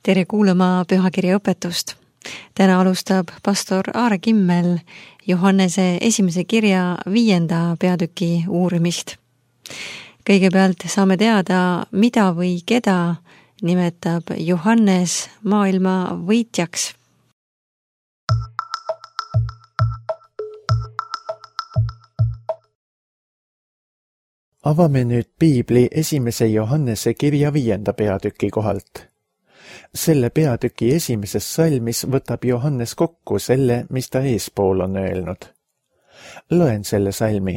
Tere kuulama pühakirja õpetust. Täna alustab pastor Aare Kimmel Johannese esimese kirja 5. peatüki uurimist. Kõigepealt saame teada, mida või keda nimetab Johannes maailma võitjaks. Avame nüüd Piibli esimese Johannese kirja 5. peatüki kohalt. Selle peatüki esimeses salmis võtab Johannes kokku selle, mis ta eespool on öelnud. Loen selle salmi.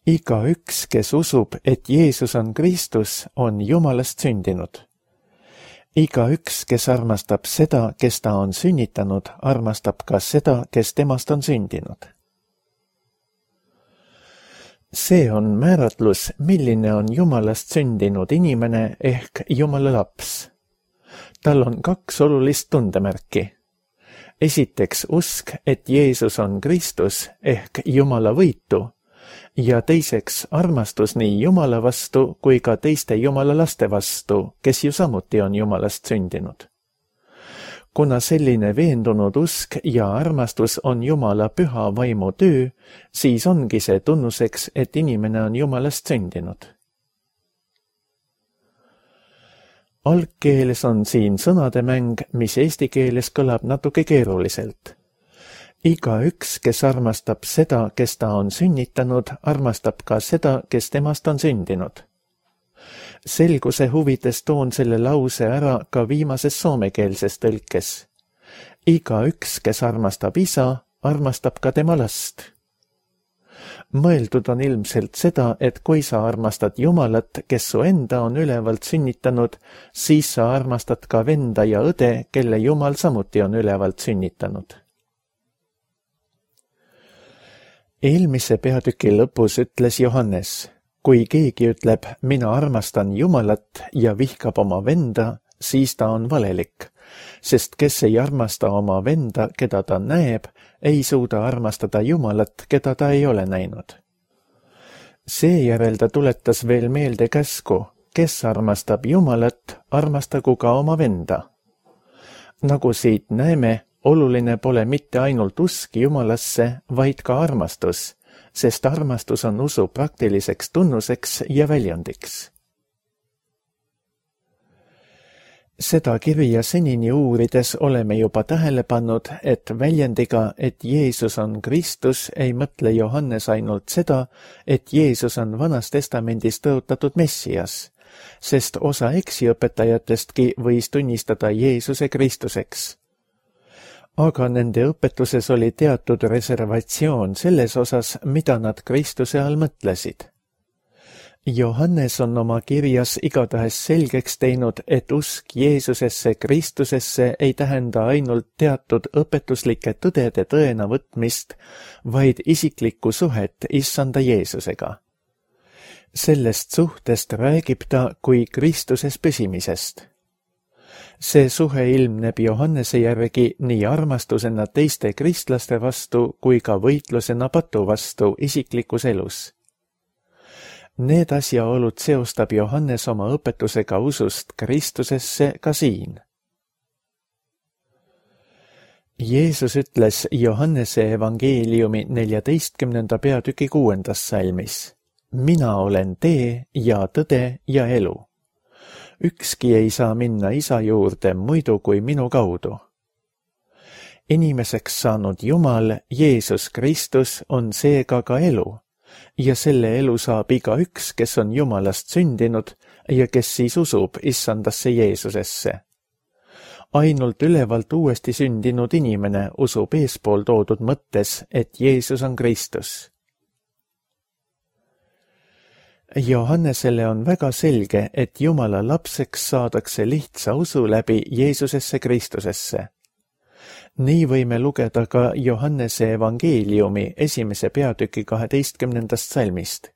Igaüks, kes usub, et Jeesus on Kristus, on Jumalast sündinud. Igaüks, kes armastab seda, kes ta on sünnitanud, armastab ka seda, kes temast on sündinud. See on määratlus, milline on Jumalast sündinud inimene ehk Jumala laps. Tal on 2 olulist tundemärki. Esiteks usk, et Jeesus on Kristus ehk Jumala võitu ja teiseks armastus nii Jumala vastu kui ka teiste Jumala laste vastu, kes ju samuti on Jumalast sündinud. Kuna selline veendunud usk ja armastus on Jumala püha vaimu töö, siis ongi see tunnuseks, et inimene on Jumalast sündinud. Algkeeles on siin sõnademäng, mis eesti keeles kõlab natuke keeruliselt. Igaüks, kes armastab seda, kes ta on sünnitanud, armastab ka seda, kes temast on sündinud. Selguse huvides toon selle lause ära ka viimases soomekeelses tõlkes. Igaüks, kes armastab isa, armastab ka tema last. Mõeldud on ilmselt seda, et kui sa armastad Jumalat, kes su enda on ülevalt sünnitanud, siis sa armastad ka venda ja õde, kelle Jumal samuti on ülevalt sünnitanud. Eelmise peatüki lõpus ütles Johannes, kui keegi ütleb, mina armastan Jumalat ja vihkab oma venda, siis ta on valelik, sest kes ei armasta oma venda, keda ta näeb, ei suuda armastada Jumalat, keda ta ei ole näinud. Seejärel ta tuletas veel meelde käsku, kes armastab Jumalat, armastagu ka oma venda. Nagu siit näeme, oluline pole mitte ainult usk Jumalasse, vaid ka armastus, sest armastus on usu praktiliseks tunnuseks ja väljundiks. Seda kirja senini uurides oleme juba tähele pannud, et väljendiga, et Jeesus on Kristus, ei mõtle Johannes ainult seda, et Jeesus on Vanas Testamendis tõotatud Messias, sest osa eksiõpetajatestki võis tunnistada Jeesuse Kristuseks. Aga nende õpetuses oli teatud reservatsioon selles osas, mida nad Kristuse all mõtlesid. Johannes on oma kirjas igatahes selgeks teinud, et usk Jeesusesse Kristusesse ei tähenda ainult teatud õpetuslike tõdede tõena võtmist, vaid isiklikku suhet Issanda Jeesusega. Sellest suhtest räägib ta kui Kristuses püsimisest. See suhe ilmneb Johannese järgi nii armastusena teiste kristlaste vastu kui ka võitlusena patu vastu isiklikus elus. Need asjaolud seostab Johannes oma õpetusega usust Kristusesse ka siin. Jeesus ütles Johannese evangeeliumi 14. peatüki 6. salmis, mina olen tee ja tõde ja elu. Ükski ei saa minna isa juurde muidu kui minu kaudu. Inimeseks saanud Jumal, Jeesus Kristus, on seega ka elu, ja selle elu saab igaüks, kes on Jumalast sündinud ja kes siis usub Issandasse Jeesusesse. Ainult ülevalt uuesti sündinud inimene usub eespool toodud mõttes, et Jeesus on Kristus. Johannesele on väga selge, et Jumala lapseks saadakse lihtsa usu läbi Jeesusesse Kristusesse. Nii võime lugeda ka Johannese evangeeliumi 1. peatüki 12. salmist.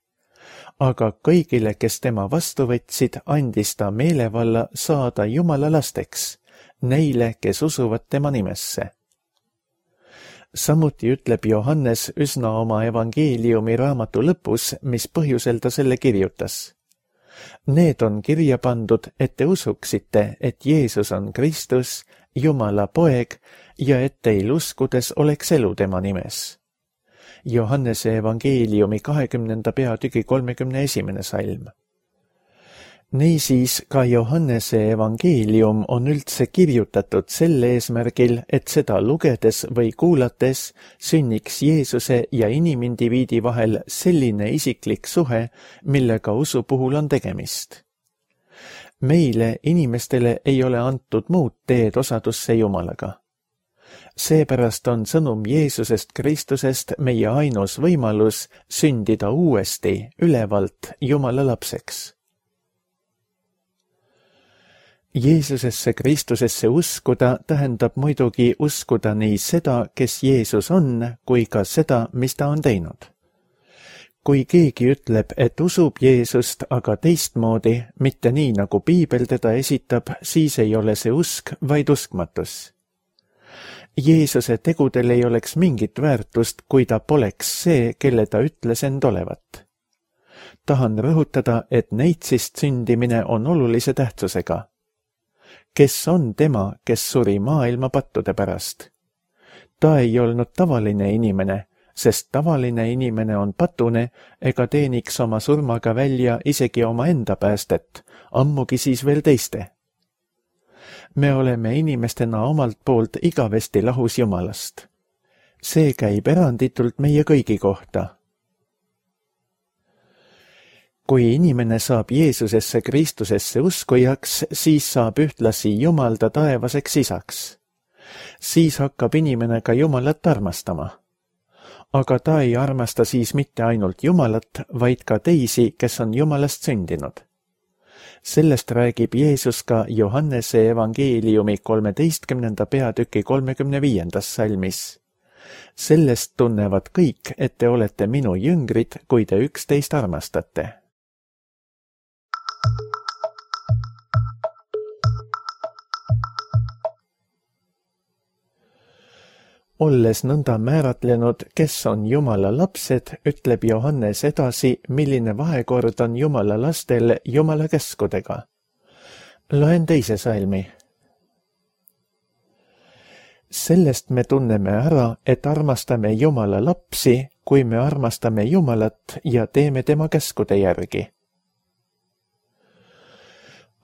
Aga kõigile, kes tema vastu võtsid, andis ta meelevalla saada Jumala lasteks, neile, kes usuvad tema nimesse. Samuti ütleb Johannes üsna oma evangeeliumi raamatu lõpus, mis põhjusel ta selle kirjutas. Need on kirja pandud, et te usuksite, et Jeesus on Kristus, Jumala poeg ja et teil uskudes oleks elu tema nimes. Johannese evangeeliumi 20. peatüki 31. salm. Niisiis ka Johannese evangeelium on üldse kirjutatud sel eesmärgil, et seda lugedes või kuulates sünniks Jeesuse ja inimindiviidi vahel selline isiklik suhe, millega usu puhul on tegemist. Meile, inimestele, ei ole antud muud teed osadusse Jumalaga. Seepärast on sõnum Jeesusest Kristusest meie ainus võimalus sündida uuesti ülevalt Jumala lapseks. Jeesusesse Kristusesse uskuda tähendab muidugi uskuda nii seda, kes Jeesus on, kui ka seda, mis ta on teinud. Kui keegi ütleb, et usub Jeesust, aga teistmoodi, mitte nii, nagu Piibel teda esitab, siis ei ole see usk, vaid uskmatus. Jeesuse tegudel ei oleks mingit väärtust, kui ta poleks see, kelle ta ütles end olevat. Tahan rõhutada, et neitsist sündimine on olulise tähtsusega. Kes on tema, kes suri maailma pattude pärast? Ta ei olnud tavaline inimene, sest tavaline inimene on patune ega teeniks oma surmaga välja isegi oma enda päästet, ammugi siis veel teiste. Me oleme inimestena omalt poolt igavesti lahus Jumalast. See käib eranditult meie kõigi kohta. Kui inimene saab Jeesusesse Kristusesse uskujaks, siis saab ühtlasi Jumal ta taevaseks isaks. Siis hakkab inimene ka Jumalat armastama. Aga ta ei armasta siis mitte ainult Jumalat, vaid ka teisi, kes on Jumalast sündinud. Sellest räägib Jeesus ka Johannese evangeeliumi 13. peatüki 35. salmis. Sellest tunnevad kõik, et te olete minu jüngrid, kui te üksteist armastate. Olles nõnda määratlenud, kes on Jumala lapsed, ütleb Johannes edasi, milline vahekord on Jumala lastel Jumala käskudega. Loen teise salmi. Sellest me tunneme ära, et armastame Jumala lapsi, kui me armastame Jumalat ja teeme tema käskude järgi.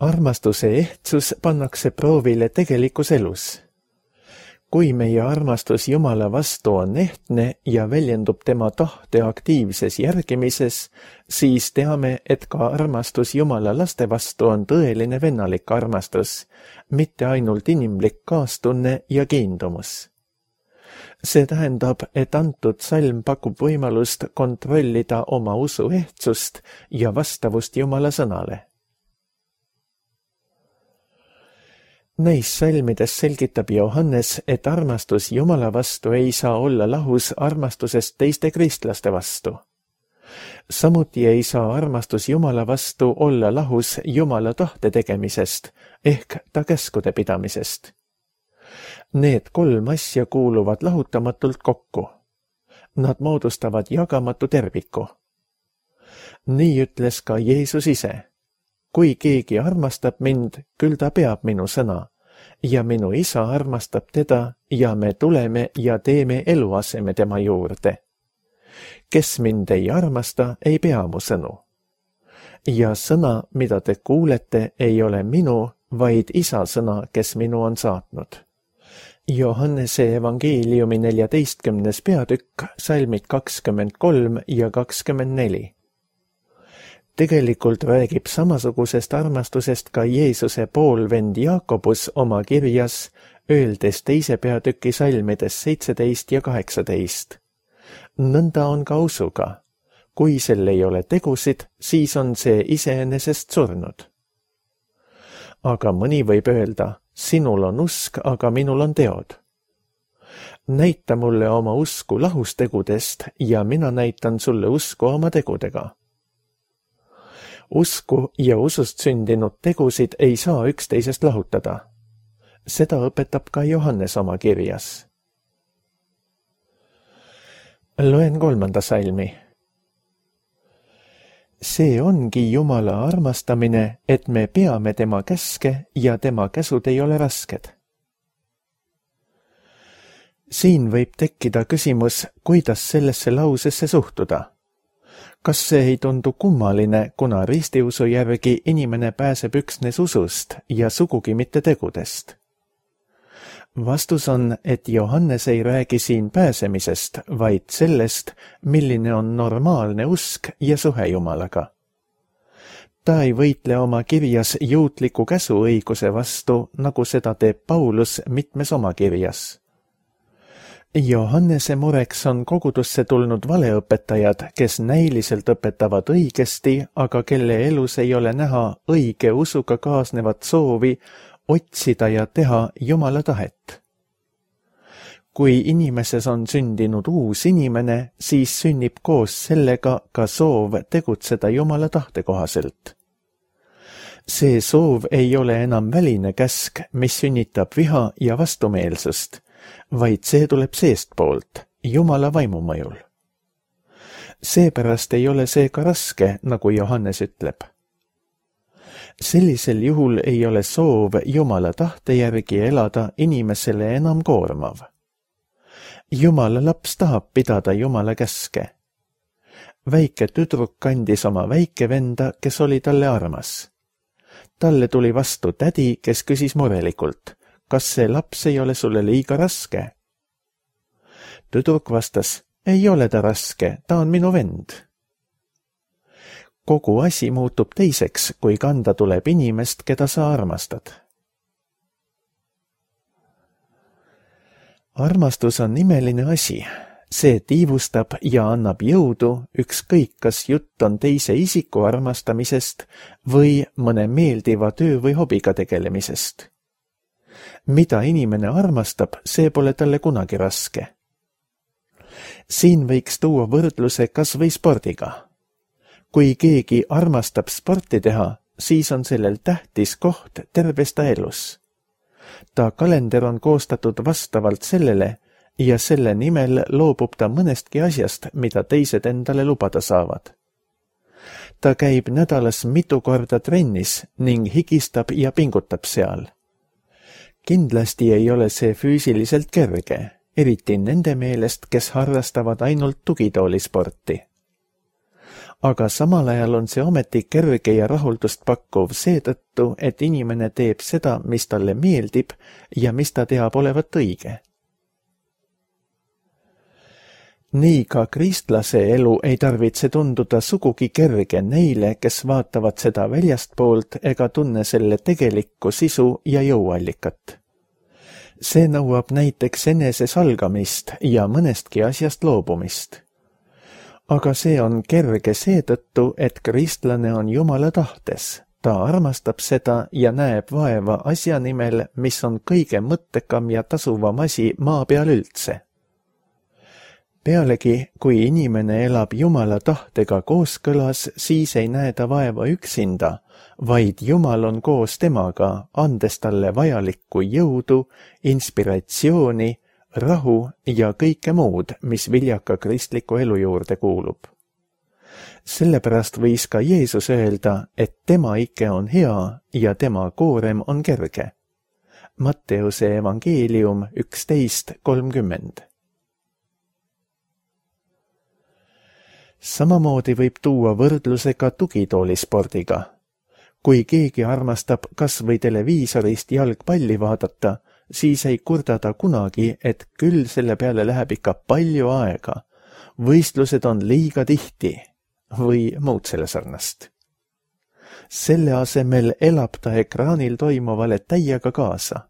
Armastuse ehtsus pannakse proovile tegelikus elus. Kui meie armastus Jumala vastu on ehtne ja väljendub tema tahte aktiivses järgimises, siis teame, et ka armastus Jumala laste vastu on tõeline vennalik armastus, mitte ainult inimlik kaastunne ja kiindumus. See tähendab, et antud salm pakub võimalust kontrollida oma usu ehtsust ja vastavust Jumala sõnale. Neis salmides selgitab Johannes, et armastus Jumala vastu ei saa olla lahus armastusest teiste kristlaste vastu. Samuti ei saa armastus Jumala vastu olla lahus Jumala tahte tegemisest ehk ta käskude pidamisest. Need kolm asja kuuluvad lahutamatult kokku. Nad moodustavad jagamatu terviku. Nii ütles ka Jeesus ise. Kui keegi armastab mind, küll ta peab minu sõna, ja minu isa armastab teda ja me tuleme ja teeme eluaseme tema juurde. Kes mind ei armasta, ei pea mu sõnu. Ja sõna, mida te kuulete, ei ole minu, vaid isa sõna, kes minu on saatnud. Johannese evangeeliumi 14. peatükk, salmid 23 ja 24. Tegelikult räägib samasugusest armastusest ka Jeesuse poolvend Jaakobus oma kirjas, öeldes 2. peatüki salmides 17 ja 18. Nõnda on ka usuga. Kui sel ei ole tegusid, siis on see iseenesest surnud. Aga mõni võib öelda, sinul on usk, aga minul on teod. Näita mulle oma usku lahus tegudest ja mina näitan sulle usku oma tegudega. Usku ja usust sündinud tegusid ei saa üksteisest lahutada. Seda õpetab ka Johannes oma kirjas. Loen 3. salmi. See ongi Jumala armastamine, et me peame tema käske ja tema käsud ei ole rasked. Siin võib tekkida küsimus, kuidas sellesse lausesse suhtuda. Kas see ei tundu kummaline, kuna ristiusu järgi inimene pääseb üksnes usust ja sugugi mitte tegudest? Vastus on, et Johannes ei räägi siin pääsemisest, vaid sellest, milline on normaalne usk ja suhe Jumalaga. Ta ei võitle oma kirjas juutliku käsuõiguse vastu, nagu seda teeb Paulus mitmes oma kirjas. Johannese mureks on kogudusse tulnud valeõpetajad, kes näiliselt õpetavad õigesti, aga kelle elus ei ole näha õige usuga kaasnevat soovi otsida ja teha Jumala tahet. Kui inimeses on sündinud uus inimene, siis sünnib koos sellega ka soov tegutseda Jumala tahte kohaselt. See soov ei ole enam väline käsk, mis sünnitab viha ja vastumeelsust, vaid see tuleb seestpoolt, Jumala vaimu mõjul. Seepärast ei ole see ka raske, nagu Johannes ütleb. Sellisel juhul ei ole soov Jumala tahte järgi elada inimesele enam koormav. Jumala laps tahab pidada Jumala käske. Väike tüdruk kandis oma väikevenda, kes oli talle armas. Talle tuli vastu tädi, kes küsis murelikult, kas see laps ei ole sulle liiga raske? Tüdruk vastas, ei ole ta raske, ta on minu vend. Kogu asi muutub teiseks, kui kanda tuleb inimest, keda sa armastad. Armastus on imeline asi. See tiivustab ja annab jõudu, ükskõik kas jutt on teise isiku armastamisest või mõne meeldiva töö või hobiga tegelemisest. Mida inimene armastab, see pole talle kunagi raske. Siin võiks tuua võrdluse kas või spordiga. Kui keegi armastab sporti teha, siis on sellel tähtis koht terves ta elus. Ta kalender on koostatud vastavalt sellele ja selle nimel loobub ta mõnestki asjast, mida teised endale lubada saavad. Ta käib nädalas mitu korda trennis ning higistab ja pingutab seal. Kindlasti ei ole see füüsiliselt kerge, eriti nende meelest, kes harrastavad ainult tugitoolisporti. Aga samal ajal on see ometi kerge ja rahuldust pakkuv seetõttu, et inimene teeb seda, mis talle meeldib ja mis ta teab olevat õige. Nii ka kristlase elu ei tarvitse tunduda sugugi kerge neile, kes vaatavad seda väljastpoolt ega tunne selle tegelikku sisu ja jõuallikat. See nõuab näiteks enese salgamist ja mõnestki asjast loobumist. Aga see on kerge seetõttu, et kristlane on Jumala tahtes. Ta armastab seda ja näeb vaeva asja nimel, mis on kõige mõttekam ja tasuvam asi maa peal üldse. Pealegi, kui inimene elab Jumala tahtega kooskõlas, siis ei näe ta vaeva üksinda, vaid Jumal on koos temaga, andes talle vajalikku jõudu, inspiratsiooni, rahu ja kõike muud, mis viljaka kristliku elu juurde kuulub. Sellepärast võis ka Jeesus öelda, et tema ike on hea ja tema koorem on kerge. Matteuse evangeelium 11:30. Samamoodi võib tuua võrdluse ka tugitoolispordiga. Kui keegi armastab kas või televiisorist jalgpalli vaadata, siis ei kurda ta kunagi, et küll selle peale läheb ikka palju aega. Võistlused on liiga tihti või muud selle sarnast. Selle asemel elab ta ekraanil toimuvale täiega kaasa.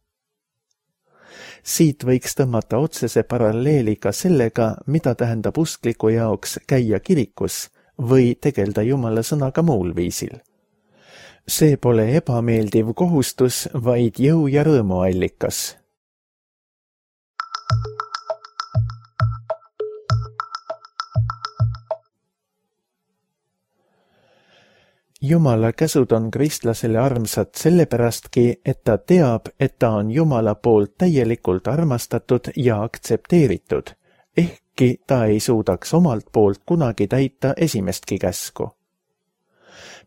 Siit võiks tõmmata otsese paralleeli ka sellega, mida tähendab uskliku jaoks käia kirikus või tegelda Jumala sõnaga muul viisil. See pole ebameeldiv kohustus, vaid jõu ja rõõmu allikas. Jumala käsud on kristlasele armsad sellepäradki, et ta teab, et ta on Jumala poolt täielikult armastatud ja aktsepteeritud, ehkki ta ei suudaks omalt poolt kunagi täita esimestki käsku.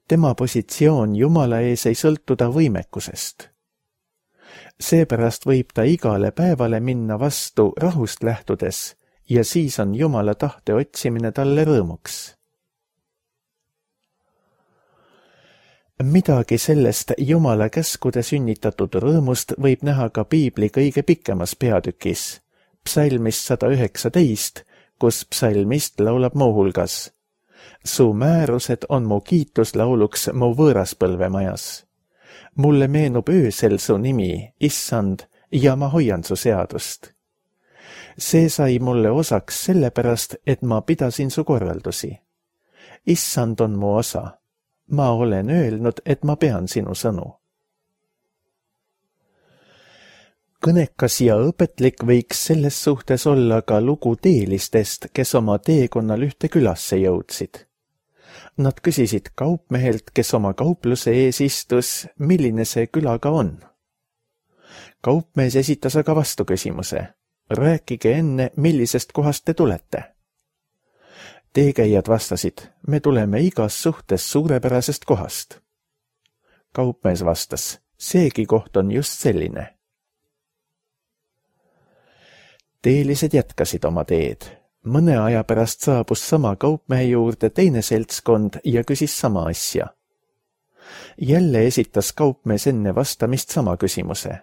tema positsioon Jumala ees ei sõltu ta võimekusest. Seepärast võib ta igale päevale minna vastu rahust lähtudes ja siis on Jumala tahte otsimine talle rõõmuks. Midagi sellest Jumala käskude sünnitatud rõõmust võib näha ka Piibli kõige pikemas peatükis, psalmist 119, kus psalmist laulab muuhulgas: Su määrused on mu kiituslauluks mu võõraspõlvemajas. Mulle meenub öösel su nimi, Issand, ja ma hoian su seadust. See sai mulle osaks sellepärast, et ma pidasin su korraldusi. Issand on mu osa. Ma olen öelnud, et ma pean sinu sõnu. Kõnekas ja õpetlik võiks selles suhtes olla ka lugu teelistest, kes oma teekonnal ühte külasse jõudsid. Nad küsisid kaupmehelt, kes oma kaupluse ees istus, milline see külaga on. Kaupmees esitas aga vastuküsimuse: rääkige enne, millisest kohast te tulete. Teekäijad vastasid: me tuleme igas suhtes suurepärasest kohast. Kaupmees vastas: seegi koht on just selline. Teelised jätkasid oma teed. Mõne aja pärast saabus sama kaupmehe juurde teine seltskond ja küsis sama asja. Jälle esitas kaupmees enne vastamist sama küsimuse.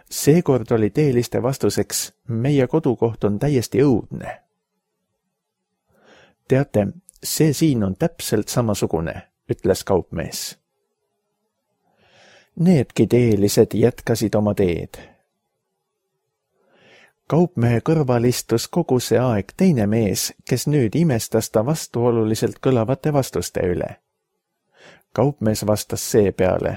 Seekord oli teeliste vastuseks: meie kodukoht on täiesti õudne. Teate, see siin on täpselt samasugune, ütles kaupmees. Needki teelised jätkasid oma teed. Kaupmehe kõrval istus kogu see aeg teine mees, kes nüüd imestas ta vastuoluliselt kõlavate vastuste üle. Kaupmees vastas seepeale: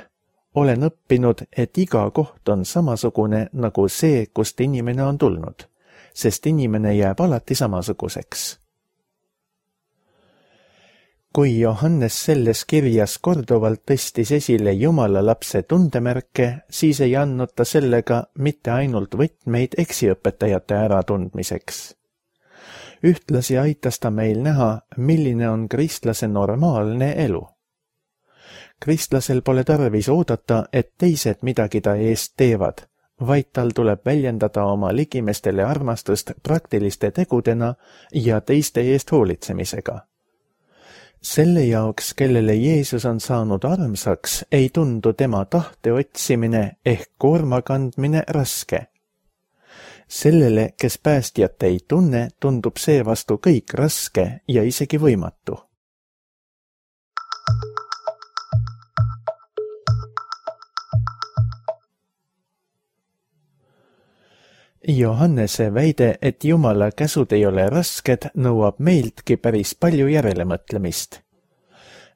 olen õppinud, et iga koht on samasugune nagu see, kust inimene on tulnud, sest inimene jääb alati samasuguseks. Kui Johannes selles kirjas korduvalt tõstis esile Jumala lapse tundemärke, siis ei andnud ta sellega mitte ainult võtmeid eksiõpetajate äratundmiseks. Ühtlasi aitas ta meil näha, milline on kristlase normaalne elu. Kristlasel pole tarvis oodata, et teised midagi ta eest teevad, vaid tal tuleb väljendada oma ligimestele armastust praktiliste tegudena ja teiste eest hoolitsemisega. Selle jaoks, kellele Jeesus on saanud armsaks, ei tundu tema tahte otsimine ehk koorma kandmine raske. Sellele, kes päästjat ei tunne, tundub seevastu kõik raske ja isegi võimatu. Johannese väide, et Jumala käsud ei ole rasked, nõuab meiltki päris palju järelemõtlemist.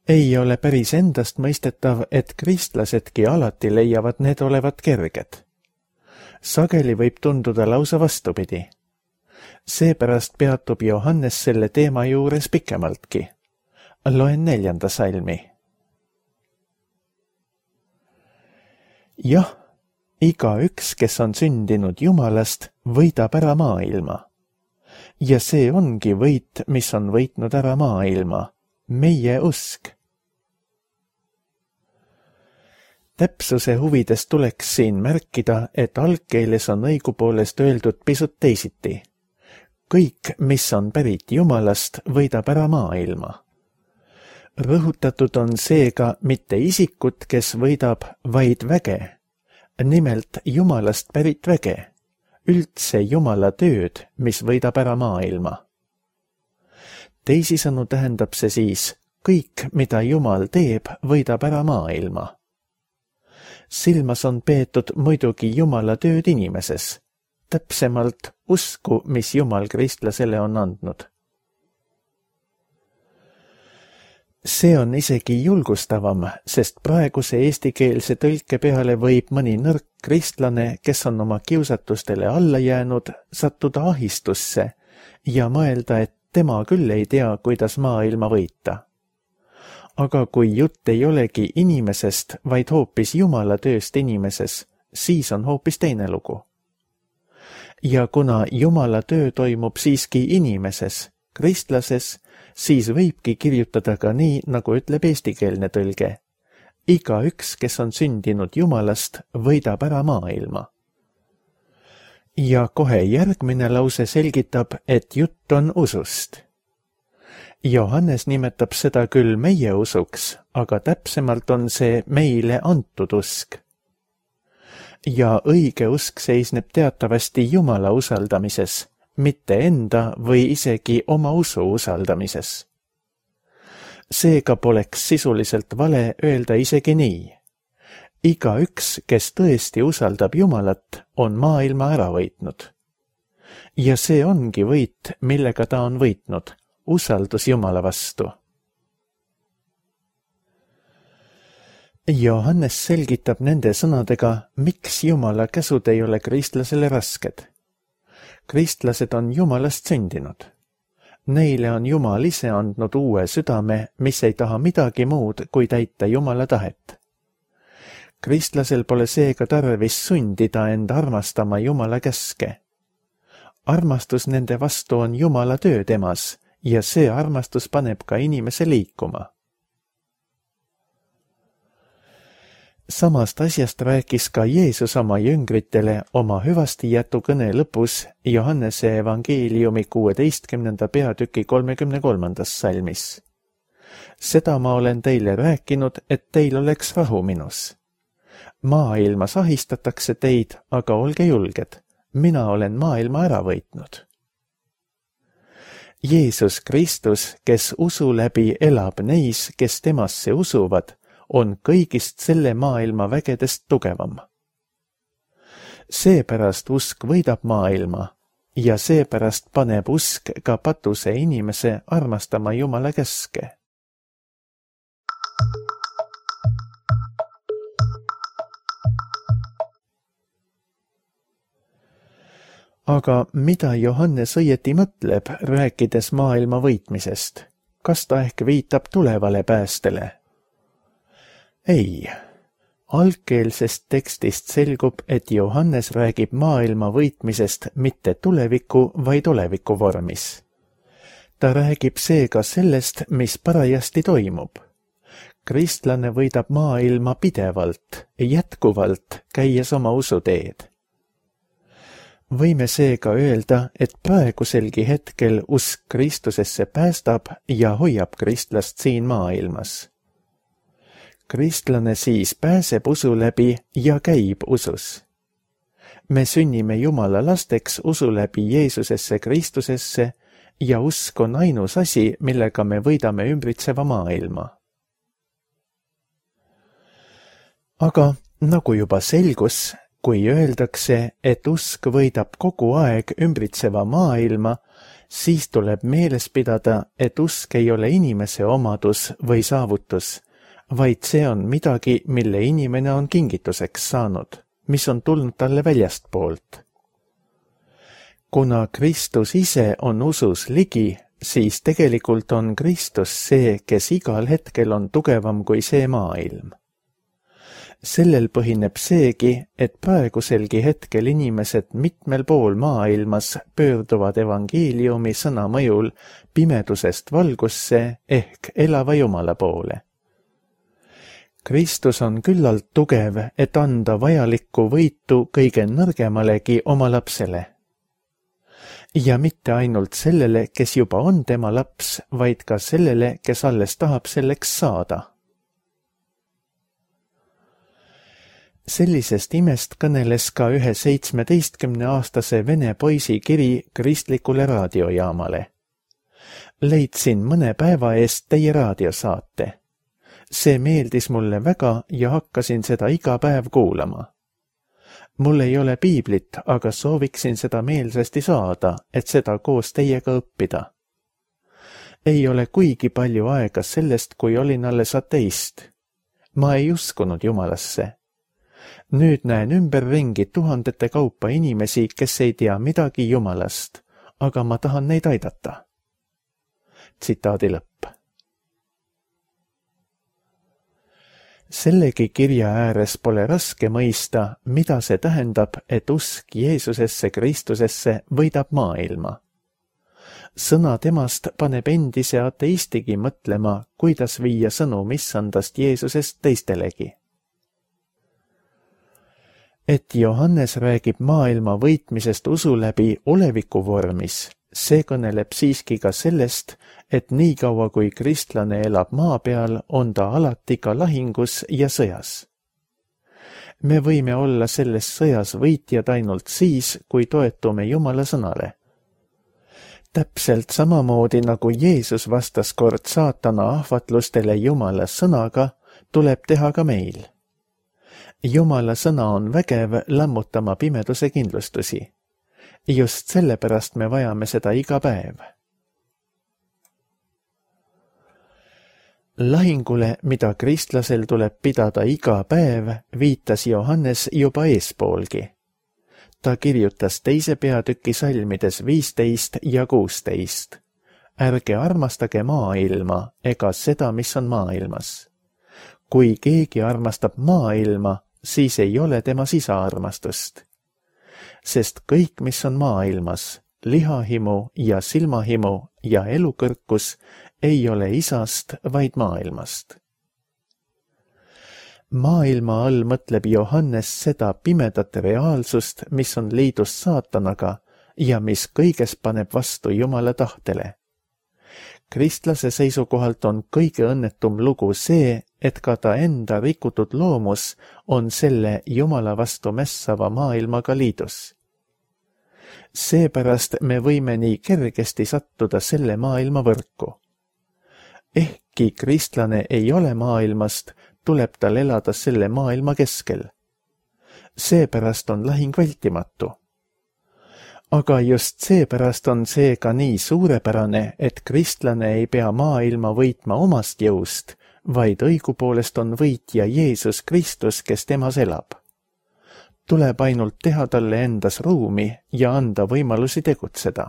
Ei ole päris endast mõistetav, et kristlasedki alati leiavad need olevat kerged. Sageli võib tunduda lausa vastupidi. Seepärast peatub Johannes selle teema juures pikemaltki. Loen 4. salmi. Jah, igaüks, kes on sündinud Jumalast, võidab ära maailma. Ja see ongi võit, mis on võitnud ära maailma, meie usk. Täpsuse huvides tuleks siin märkida, et algkeeles on õigupoolest öeldud pisut teisiti. Kõik, mis on pärit Jumalast, võidab ära maailma. Rõhutatud on seega mitte isikut, kes võidab, vaid väge. Nimelt Jumalast pärit väge, üldse Jumala tööd, mis võidab ära maailma. Teisisõnu tähendab see siis, kõik, mida Jumal teeb, võidab ära maailma. Silmas on peetud muidugi Jumala tööd inimeses, täpsemalt usku, mis Jumal kristlasele on andnud. See on isegi julgustavam, sest praeguse eestikeelse tõlke peale võib mõni nõrk kristlane, kes on oma kiusatustele alla jäänud, sattuda ahistusse ja mõelda, et tema küll ei tea, kuidas maailma võita. Aga kui jutt ei olegi inimesest, vaid hoopis Jumala tööst inimeses, siis on hoopis teine lugu. Ja kuna Jumala töö toimub siiski inimeses, kristlases, siis võibki kirjutada ka nii, nagu ütleb eestikeelne tõlge. Igaüks, kes on sündinud Jumalast, võidab ära maailma. Ja kohe järgmine lause selgitab, et jutt on usust. Johannes nimetab seda küll meie usuks, aga täpsemalt on see meile antud usk. Ja õige usk seisneb teatavasti Jumala usaldamises, mitte enda või isegi oma usu usaldamises. Seega poleks sisuliselt vale öelda isegi nii. Igaüks, kes tõesti usaldab Jumalat, on maailma ära võitnud. Ja see ongi võit, millega ta on võitnud, usaldus Jumala vastu. Johannes selgitab nende sõnadega, miks Jumala käsud ei ole kristlasele rasked. Kristlased on Jumalast sündinud. Neile on Jumal ise andnud uue südame, mis ei taha midagi muud, kui täita Jumala tahet. Kristlasel pole seega tarvis sundida end armastama Jumala käske. Armastus nende vastu on Jumala töö temas ja see armastus paneb ka inimese liikuma. Samast asjast rääkis ka Jeesus oma jüngritele oma hüvastijätu kõne lõpus Johannese evangeeliumi 16. peatüki 33. salmis. Seda ma olen teile rääkinud, et teil oleks rahu minus. Maailmas ahistatakse teid, aga olge julged, mina olen maailma ära võitnud. Jeesus Kristus, kes usu läbi elab neis, kes temasse usuvad, on kõigist selle maailma vägedest tugevam. Seepärast usk võidab maailma ja seepärast paneb usk ka patuse inimese armastama Jumala käske. Aga mida Johannes õieti mõtleb, rääkides maailma võitmisest? Kas ta ehk viitab tulevale päästele? Ei. Algkeelsest tekstist selgub, et Johannes räägib maailma võitmisest mitte tuleviku, vaid oleviku vormis. Ta räägib seega sellest, mis parajasti toimub. Kristlane võidab maailma pidevalt, jätkuvalt, käies oma usuteed. Võime seega öelda, et praeguselgi hetkel usk Kristusesse päästab ja hoiab kristlast siin maailmas. Kristlane siis pääseb usu läbi ja käib usus. Me sünnime Jumala lasteks usu läbi Jeesusesse Kristusesse ja usk on ainus asi, millega me võidame ümbritseva maailma. Aga nagu juba selgus, kui öeldakse, et usk võidab kogu aeg ümbritseva maailma, siis tuleb meeles pidada, et usk ei ole inimese omadus või saavutus, vaid see on midagi, mille inimene on kingituseks saanud, mis on tulnud talle väljastpoolt. Kuna Kristus ise on usus ligi, siis tegelikult on Kristus see, kes igal hetkel on tugevam kui see maailm. Sellel põhineb seegi, et praeguselgi hetkel inimesed mitmel pool maailmas pöörduvad evangeeliumi sõna mõjul pimedusest valgusse ehk elava Jumala poole. Kristus on küllalt tugev, et anda vajalikku võitu kõige nõrgemalegi oma lapsele. Ja mitte ainult sellele, kes juba on tema laps, vaid ka sellele, kes alles tahab selleks saada. Sellisest imest kõneles ka ühe 17-aastase vene poisi kiri kristlikule raadiojaamale. Leidsin mõne päeva eest teie raadiosaate. See meeldis mulle väga ja hakkasin seda iga päev kuulama. Mul ei ole piiblit, aga sooviksin seda meelsasti saada, et seda koos teiega õppida. Ei ole kuigi palju aega sellest, kui olin alles ateist. Ma ei uskunud Jumalasse. Nüüd näen ümberringi tuhandete kaupa inimesi, kes ei tea midagi Jumalast, aga ma tahan neid aidata. Tsitaadi lõpp. Sellegi kirja ääres pole raske mõista, mida see tähendab, et usk Jeesusesse Kristusesse võidab maailma. sõna temast paneb endise ateistigi mõtlema, kuidas viia sõnum issandast Jeesusest teistelegi. Et Johannes räägib maailma võitmisest usu läbi oleviku vormis, see kõneleb siiski ka sellest, et niikaua kui kristlane elab maa peal, on ta alati ka lahingus ja sõjas. Me võime olla selles sõjas võitjad ainult siis, kui toetume Jumala sõnale. Täpselt samamoodi nagu Jeesus vastas kord saatana ahvatlustele Jumala sõnaga, tuleb teha ka meil. Jumala sõna on vägev lammutama pimeduse kindlustusi. Just sellepärast me vajame seda iga päev. Lahingule, mida kristlasel tuleb pidada iga päev, viitas Johannes juba eespoolgi. Ta kirjutas 2. peatüki salmides 15 ja 16. Ärge armastage maailma ega seda, mis on maailmas. Kui keegi armastab maailma, siis ei ole temas isa armastust. Sest kõik, mis on maailmas, lihahimu ja silmahimu ja elukõrkus, ei ole isast, vaid maailmast. Maailma all mõtleb Johannes seda pimedat reaalsust, mis on liidus saatanaga ja mis kõiges paneb vastu Jumala tahtele. Kristlase seisukohalt on kõige õnnetum lugu see, et ka ta enda rikutud loomus on selle Jumala vastu mässava maailmaga liidus. Seepärast me võime nii kergesti sattuda selle maailma võrku. Ehkki kristlane ei ole maailmast, tuleb tal elada selle maailma keskel. Seepärast on lahing vältimatu. Aga just seepärast on see ka nii suurepärane, et kristlane ei pea maailma võitma omast jõust, vaid õigupoolest on võitja Jeesus Kristus, kes temas elab. Tuleb ainult teha talle endas ruumi ja anda võimalusi tegutseda.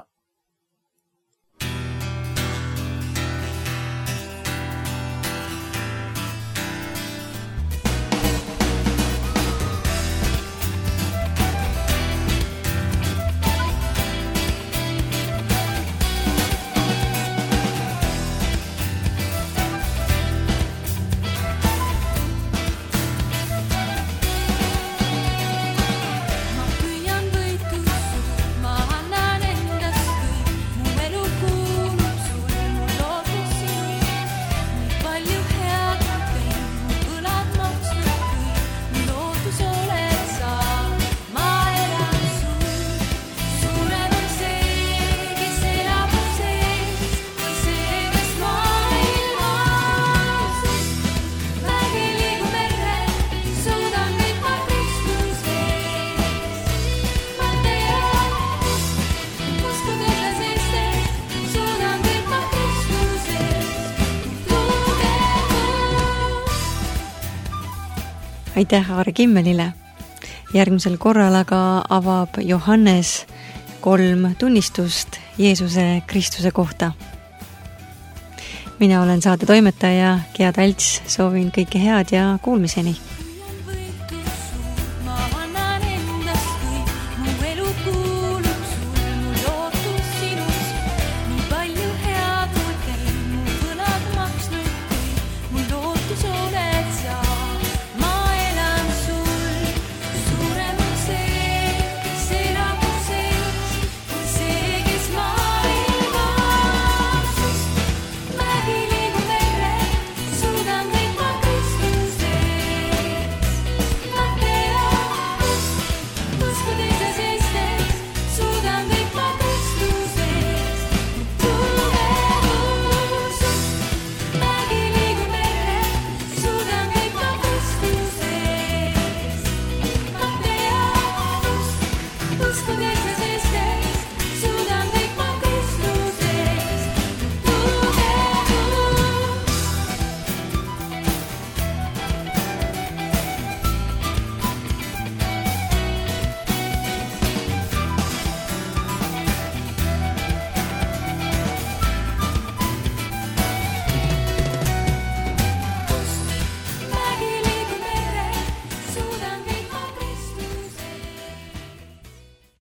Aitäh Aare Kimmelile. Järgmisel korral aga avab Johannes 3 tunnistust Jeesuse Kristuse kohta. Mina olen saate toimetaja Gea Talts, soovin kõike head ja kuulmiseni. Uskudes